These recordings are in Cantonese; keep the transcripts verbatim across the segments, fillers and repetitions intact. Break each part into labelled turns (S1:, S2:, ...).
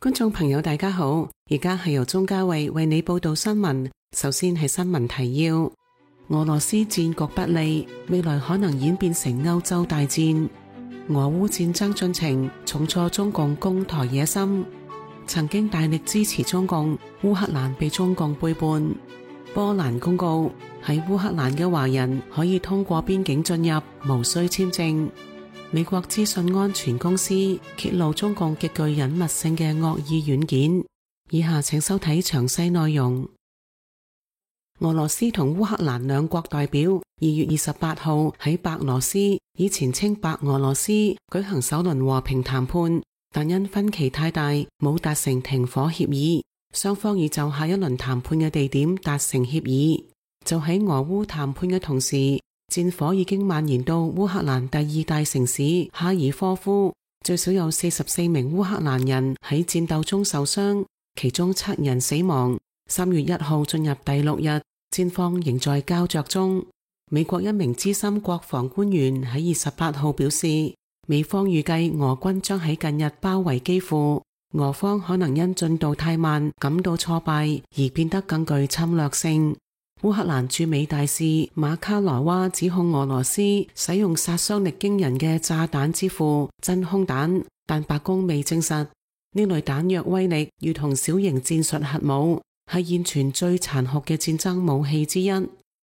S1: 觀眾朋友大家好，而家係由鍾嘉慧為你報道新聞。首先係新聞提要：俄羅斯戰局不利，未來可能演變成歐洲大戰。俄烏戰爭進程重挫中共攻台野心。曾經大力支持中共，烏克蘭被中共背叛。波蘭公告，喺烏克蘭嘅華人可以通過邊境進入，無需簽證。美國資訊安全公司揭露中共極具隱密性嘅惡意軟件。以下請收睇詳細內容。俄羅斯同烏克蘭兩國代表二月二十八號喺白羅斯（以前稱白俄羅斯）舉行首輪和平談判，但因分歧太大，冇達成停火協議。雙方已就下一輪談判嘅地點達成協議。就喺俄烏談判嘅同時，戰火已經蔓延到烏克蘭第二大城市哈爾科夫，最少有四十四名烏克蘭人喺戰鬥中受傷，其中七人死亡。三月一號進入第六日，戰況仍在膠着中。美國一名資深國防官員喺二十八號表示，美方預計俄軍將喺近日包圍基輔，俄方可能因進度太慢感到挫敗而變得更具侵略性。烏克蘭駐美大使馬卡羅娃指控俄羅斯使用殺傷力驚人嘅炸彈之父真空彈，但白宮未證實。呢類彈藥威力如同小型戰術核武，係現存最殘酷嘅戰爭武器之一。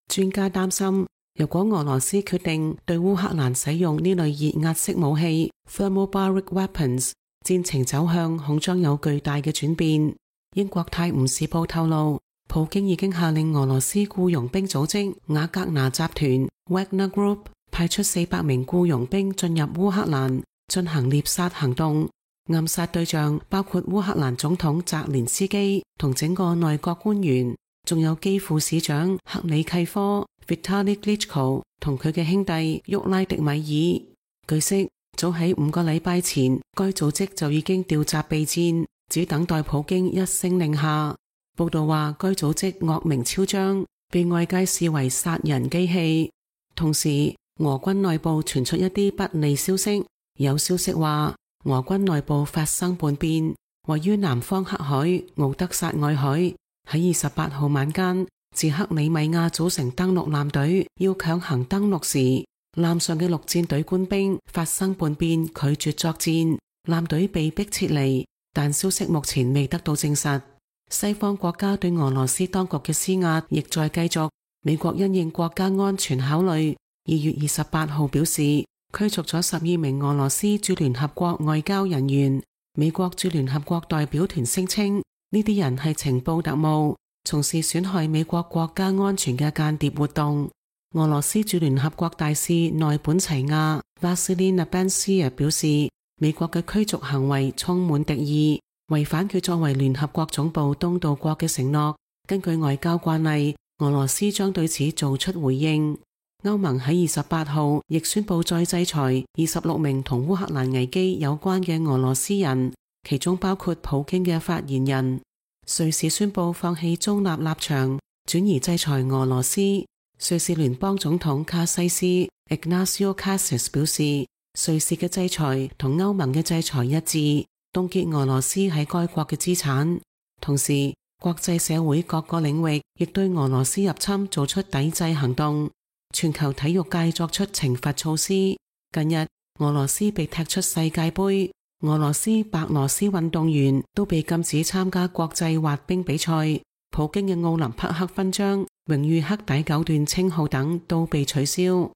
S1: 專家擔心，如果俄羅斯決定對烏克蘭使用呢類熱壓式武器 （thermobaric weapons），戰情走向恐將有巨大嘅轉變。英國泰晤士報透露，普京已經下令俄羅斯僱傭兵組織瓦格納集團 Wagner Group 派出四百名僱傭兵進入烏克蘭進行獵殺行動，暗殺對象包括烏克蘭總統澤連斯基同整個內閣官員，仲有基輔市長克里契科 Vitali Klitschko 同佢嘅兄弟沃拉迪米爾。據悉，早喺五個禮拜前，該組織就已經調集備戰，只等待普京一聲令下。報道話，該組織惡名昭彰，被外界視為殺人機器。同時，俄軍內部傳出一啲不利消息，有消息話，俄軍內部發生叛變，位於南方黑海敖德薩外海，喺二十八號晚間，自克里米亞組成登陸艦隊要強行登陸時，艦上嘅陸戰隊官兵發生叛變，拒絕作戰，艦隊被迫撤離，但消息目前未得到證實。西方國家對俄羅斯當局嘅施壓亦在繼續。美國因應國家安全考慮，二月二十八號表示驅逐咗十二名俄羅斯駐聯合國外交人員。美國駐聯合國代表團聲稱，呢啲人係情報特務，從事損害美國國家安全嘅間諜活動。俄羅斯駐聯合國大使內本齊亞 Vasily Nebenzia 表示，美國嘅驅逐行為充滿敵意，違反佢作為聯合國總部東道國嘅承諾。根據外交慣例，俄羅斯將對此做出回應。歐盟喺二十八號亦宣布再制裁二十六名同烏克蘭危機有關嘅俄羅斯人，其中包括普京嘅發言人。瑞士宣布放棄中立立場，轉而制裁俄羅斯。瑞士聯邦總統卡西斯 Ignacio Cassis 表示，瑞士嘅制裁同歐盟嘅制裁一致，凍結俄羅斯喺該國嘅資產。同時，國際社會各個領域亦對俄羅斯入侵做出抵制行動。全球體育界作出懲罰措施。近日，俄羅斯被踢出世界盃，俄羅斯白羅斯運動員都被禁止參加國際滑冰比賽。普京嘅奧林匹克勳章、榮譽黑帶九段稱號等都被取消。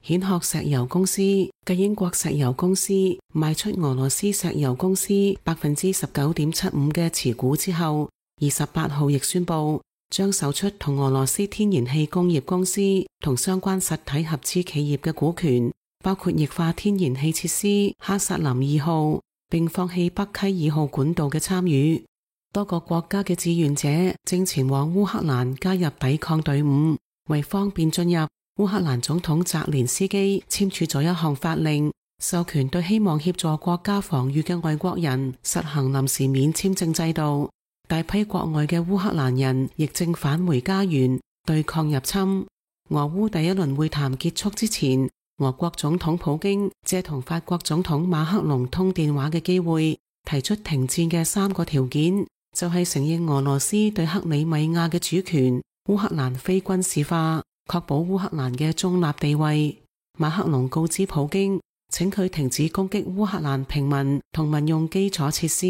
S1: 蜆殼石油公司繼英國石油公司賣出俄羅斯石油公司百分之十九點七五嘅持股之後，二十八號亦宣布將售出同俄羅斯天然氣工業公司同相關實體合資企業嘅股權，包括液化天然氣設施哈薩林二號，並放棄北溪二號管道嘅參與。多個國家嘅志願者正前往烏克蘭加入抵抗隊伍。為方便進入，烏克蘭總統澤連斯基簽署咗一項法令，授權對希望協助國家防禦嘅外國人實行臨時免簽證制度。大批國外嘅烏克蘭人亦正返回家園對抗入侵。俄烏第一輪會談結束之前，俄國總統普京借同法國總統馬克龍通電話嘅機會，提出停戰嘅三個條件，就係承認俄羅斯對克里米亞嘅主權，烏克蘭非軍事化，確保烏克蘭嘅中立地位。馬克龍告知普京，請佢停止攻擊烏克蘭平民同民用基礎設施，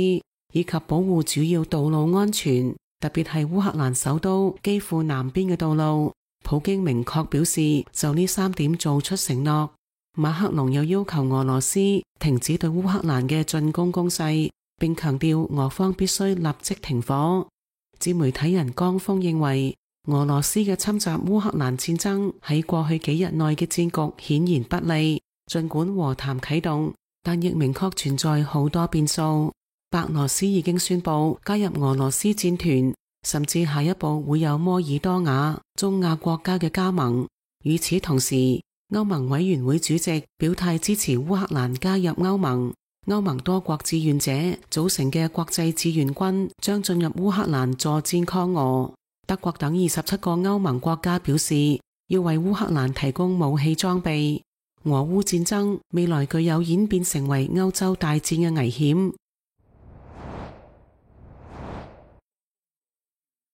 S1: 以及保護主要道路安全，特別係烏克蘭首都基輔南邊嘅道路。普京明確表示就呢三點做出承諾。馬克龍又要求俄羅斯停止對烏克蘭嘅進攻攻勢，並強調俄方必須立即停火。自媒體人江峰認為，俄羅斯嘅侵襲烏克蘭戰爭喺過去幾日內嘅戰局顯然不利，儘管和談啟動，但亦明確存在好多變數。白羅斯已經宣布加入俄羅斯戰團，甚至下一步會有摩爾多瓦、中亞國家嘅加盟。與此同時，歐盟委員會主席表態支持烏克蘭加入歐盟。歐盟多國志願者組成嘅國際志願軍將進入烏克蘭助戰抗俄。德國等二十七個歐盟國家表示要為烏克蘭提供武器裝備。俄烏戰爭未來具有演變成為歐洲大戰嘅危險。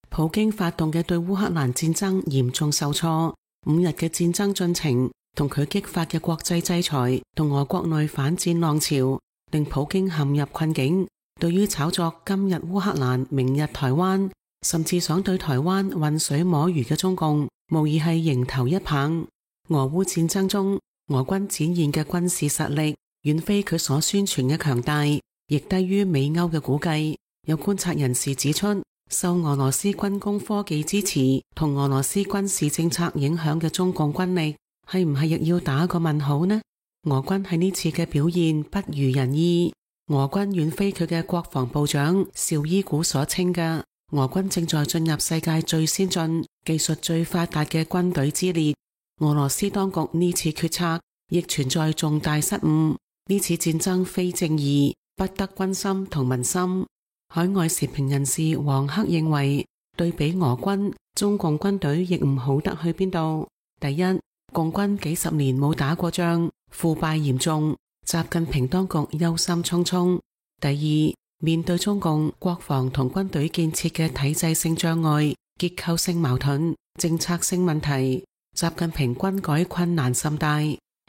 S1: 普京發動嘅對烏克蘭戰爭嚴重受挫，五日嘅戰爭進程同佢激發嘅國際制裁同俄國內反戰浪潮，令普京陷入困境。對於炒作今日烏克蘭，明日台灣，甚至想對台灣渾水摸魚嘅中共，無疑係迎頭一棒。俄烏戰爭中，俄軍展現嘅軍事實力遠非佢所宣傳嘅強大，亦低於美歐嘅估計。有觀察人士指出，受俄羅斯軍工科技支持同俄羅斯軍事政策影響嘅中共軍力，係唔係亦要打個問號呢？俄軍喺呢次嘅表現不如人意，俄軍遠非佢嘅國防部長紹伊古所稱嘅，俄軍正在進入世界最先進、技術最發達嘅軍隊之列。俄羅斯當局呢次決策亦存在重大失誤，呢次戰爭非正義，不得軍心同民心。海外時評人士黃克認為，對比俄軍，中共軍隊亦唔好得去邊度。第一，共軍幾十年冇打過仗，腐敗嚴重，習近平當局憂心忡忡。第二，面對中共國防同軍隊建設嘅體制性障礙、結構性矛盾、政策性問題，習近平軍改困難甚大。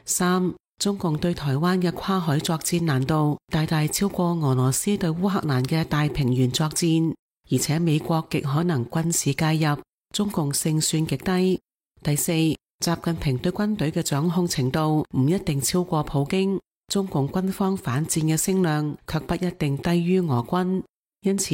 S1: 三，中共對台灣嘅跨海作戰難度大大超過俄羅斯對烏克蘭嘅大平原作戰，而且美國極可能軍事介入，中共勝算極低。第四，習近平對軍隊嘅掌控程度唔一定超過普京，中共軍方反戰嘅聲量卻不一定低於俄軍，因此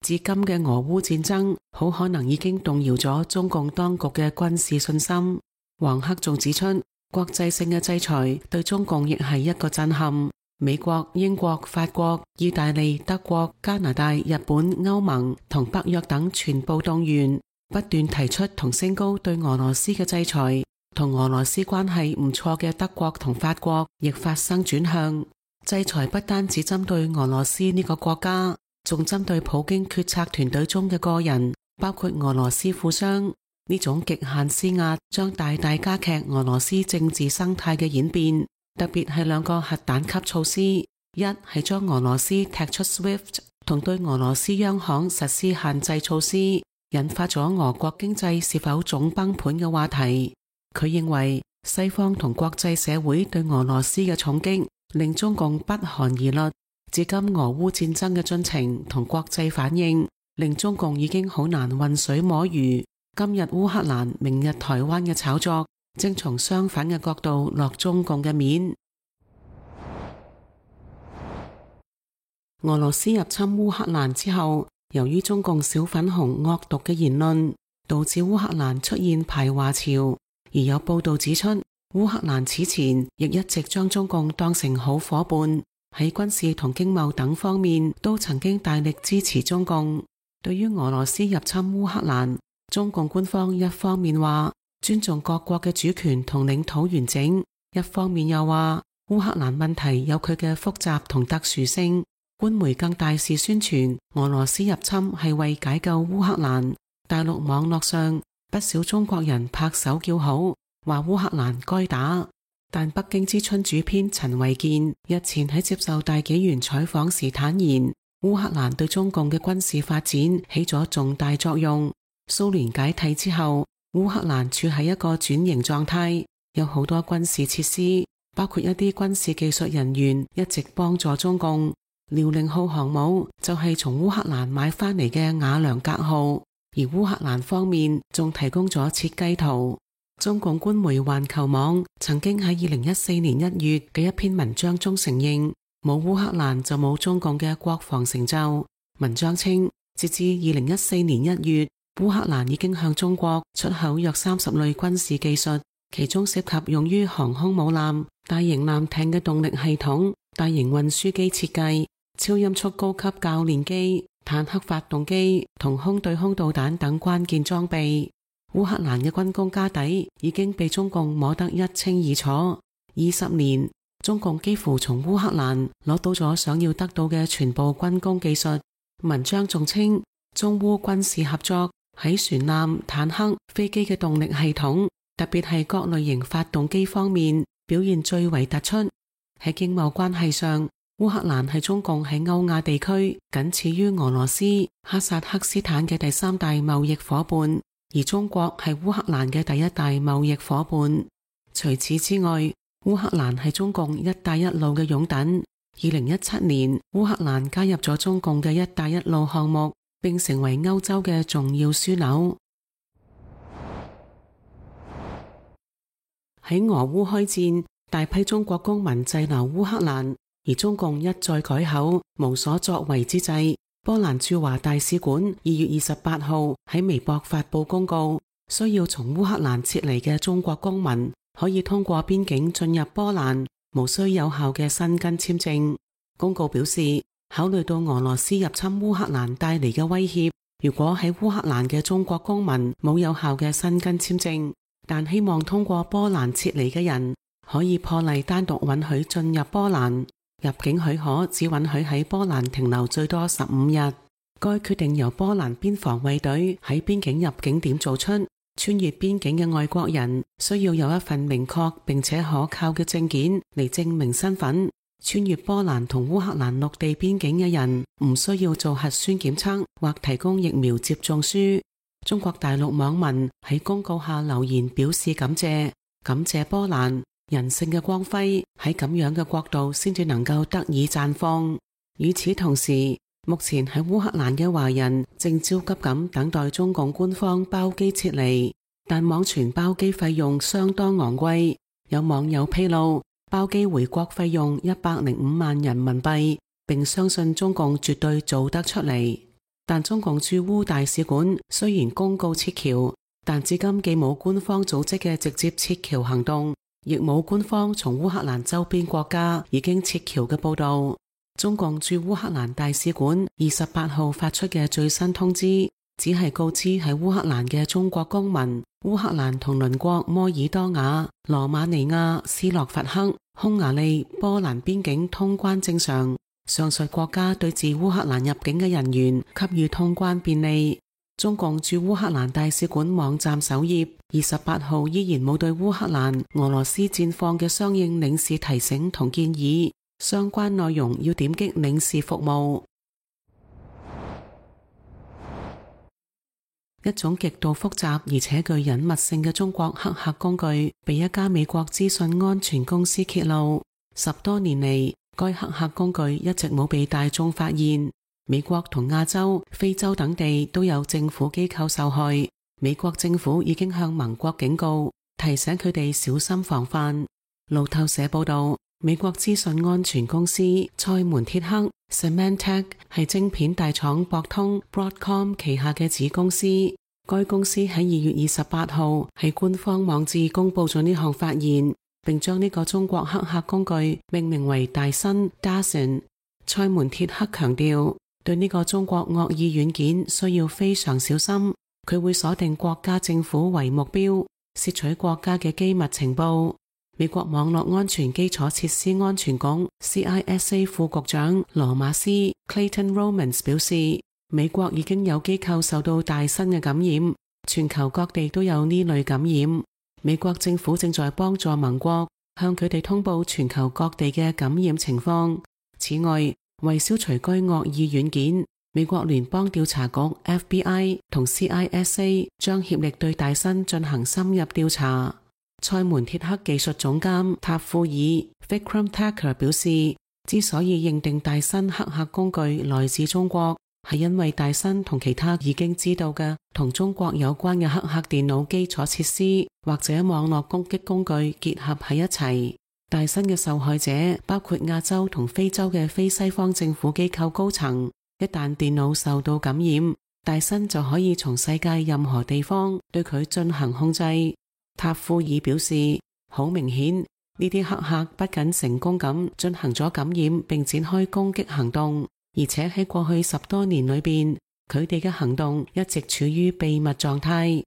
S1: 至今嘅俄烏戰爭好可能已經動搖咗中共當局嘅軍事信心。黃克仲指出，國際性嘅制裁對中共亦係一個震撼。美國、英國、法國、意大利、德國、加拿大、日本、歐盟同北約等全部動員，不斷提出同升高對俄羅斯嘅制裁。同俄羅斯關係唔錯嘅德國同法國亦發生轉向，制裁不單只針對俄羅斯呢個國家，仲針對普京決策團隊中嘅個人，包括俄羅斯富商。呢種極限施壓將大大加劇俄羅斯政治生態嘅演變，特別係兩個核彈級措施，一係將俄羅斯踢出 SWIFT 同對俄羅斯央行實施限制措施，引發咗俄國經濟是否總崩盤嘅話題。佢認為西方同國際社會對俄羅斯嘅重擊令中共不寒而栗，至今俄烏戰爭嘅進程同國際反應令中共已經好難渾水摸魚。今日烏克蘭，明日台灣嘅炒作，正從相反嘅角度落中共嘅面。俄羅斯入侵烏克蘭之後，由於中共小粉紅惡毒嘅言論，導致烏克蘭出現排華潮。而有報道指出，烏克蘭此前亦一直將中共當成好夥伴，喺軍事同經貿等方面都曾經大力支持中共。對於俄羅斯入侵烏克蘭，中共官方一方面話尊重各國嘅主權同領土完整，一方面又話烏克蘭問題有佢嘅複雜同特殊性。官媒更大肆宣傳俄羅斯入侵係為解救烏克蘭。大陸網絡上不少中國人拍手叫好，話烏克蘭該打。但北京之春主編陳維健日前喺接受大紀元採訪時坦言，烏克蘭對中共嘅軍事發展起咗重大作用。蘇聯解體之後，烏克蘭處喺一個轉型狀態，有好多軍事設施，包括一啲軍事技術人員一直幫助中共。遼寧號航母就係從烏克蘭買翻嚟嘅瓦良格號，而烏克蘭方面仲提供咗設計圖。中共官媒環球網曾經喺二零一四年一月嘅一篇文章中承認，冇烏克蘭就冇中共嘅國防成就。文章稱，截至二零一四年一月，烏克蘭已經向中國出口約三十類軍事技術，其中涉及用於航空母艦、大型艦艇嘅動力系統、大型運輸機設計、超音速高級教練機、坦克發動機同空對空導彈等關鍵裝備。烏克蘭嘅軍工家底已經被中共摸得一清二楚。二十年，中共幾乎從烏克蘭攞到咗想要得到嘅全部軍工技術。文章仲稱，中烏軍事合作喺船艦、坦克、飛機嘅動力系統，特別係各類型發動機方面表現最為突出。喺經貿關係上，烏克蘭係中共喺歐亞地區僅次於俄羅斯、哈薩克斯坦嘅第三大貿易夥伴。而中國係烏克蘭嘅第一大貿易夥伴。除此之外，烏克蘭係中共一帶一路嘅擁躉。二零一七年，烏克蘭加入咗中共嘅一帶一路項目，並成為歐洲嘅重要樞紐。喺俄烏開戰，大批中國公民滯留烏克蘭，而中共一再改口，無所作為之際，波蘭駐華大使館二月二十八號喺微博發佈公告，需要從烏克蘭撤離嘅中國公民可以通過邊境進入波蘭，無需有效嘅申根簽證。公告表示，考慮到俄羅斯入侵烏克蘭帶嚟嘅威脅，如果喺烏克蘭嘅中國公民冇有效嘅申根簽證，但希望通過波蘭撤離嘅人，可以破例單獨允許進入波蘭。入境許可只允許喺波蘭停留最多十五日。該決定由波蘭邊防衛隊喺邊境入境點做出。穿越邊境嘅外國人需要有一份明確並且可靠嘅證件嚟證明身份。穿越波蘭同烏克蘭陸地邊境嘅人唔需要做核酸檢測或提供疫苗接種書。中國大陸網民喺公告下留言表示感謝，感謝波蘭。人性嘅光輝喺咁樣嘅國度先至能夠得以綻放。與此同時，目前喺烏克蘭嘅華人正焦急咁等待中共官方包機撤離，但網傳包機費用相當昂貴。有網友披露，包機回國費用一百零五萬人民幣，並相信中共絕對做得出嚟。但中共駐烏大使館雖然公告撤僑，但至今既冇官方組織嘅直接撤僑行動，亦冇官方從烏克蘭周邊國家已經撤僑嘅報道。中共駐烏克蘭大使館二十八號發出嘅最新通知，只係告知喺烏克蘭嘅中國公民，烏克蘭同鄰國摩爾多瓦、羅馬尼亞、斯洛伐克、匈牙利、波蘭邊境通關正常。上述國家對自烏克蘭入境嘅人員給予通關便利。中共駐烏克蘭大使館網站首頁二十八號依然冇對烏克蘭、俄羅斯戰況嘅相應領事提醒同建議，相關內容要點擊領事服務。一種極度複雜而且具隱密性嘅中國黑客工具被一家美國資訊安全公司揭露。十多年嚟，該黑客工具一直冇被大眾發現。美國同亞洲、非洲等地都有政府機構受害。美國政府已經向盟國警告，提醒佢哋小心防範。路透社報道，美國資訊安全公司賽門鐵克 Symantec 係晶片大廠博通 Broadcom 旗下嘅子公司。該公司喺二月二十八號喺官方網誌公布咗呢項發現，並將呢個中國黑客工具命名為大新 Dazen。賽門鐵克強調，對呢個中國惡意軟件需要非常小心，佢會鎖定國家政府為目標，竊取國家嘅機密情報。美國網絡安全基礎設施安全局 C I S A 副局長羅馬斯 Clayton Romans 表示，美國已經有機構受到大新嘅感染，全球各地都有呢類感染。美國政府正在幫助盟國向佢哋通報全球各地嘅感染情況。此外，為消除該惡意軟件，美國聯邦調查局 F B I 同 C I S A 將協力對戴森進行深入調查。賽門鐵克技術總監塔庫爾 Vikram Thakur 表示，之所以認定戴森黑客工具來自中國，係因為戴森同其他已經知道嘅同中國有關嘅黑客電腦基礎設施或者網絡攻擊工具結合喺一齊。戴森嘅受害者包括亞洲同非洲嘅非西方政府機構高層，一旦電腦受到感染，戴森就可以從世界任何地方對佢進行控制。塔庫爾表示，好明顯，呢啲黑客不僅成功咁進行咗感染並展開攻擊行動，而且喺過去十多年裏邊，佢哋嘅行動一直處於秘密狀態。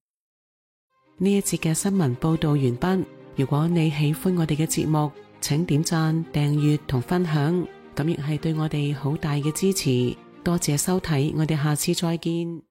S1: 呢一節嘅新聞報道完畢。如果你喜歡我哋嘅節目，請點讚、訂閱同分享，咁亦係對我哋好大嘅支持。多謝收睇，我哋下次再見。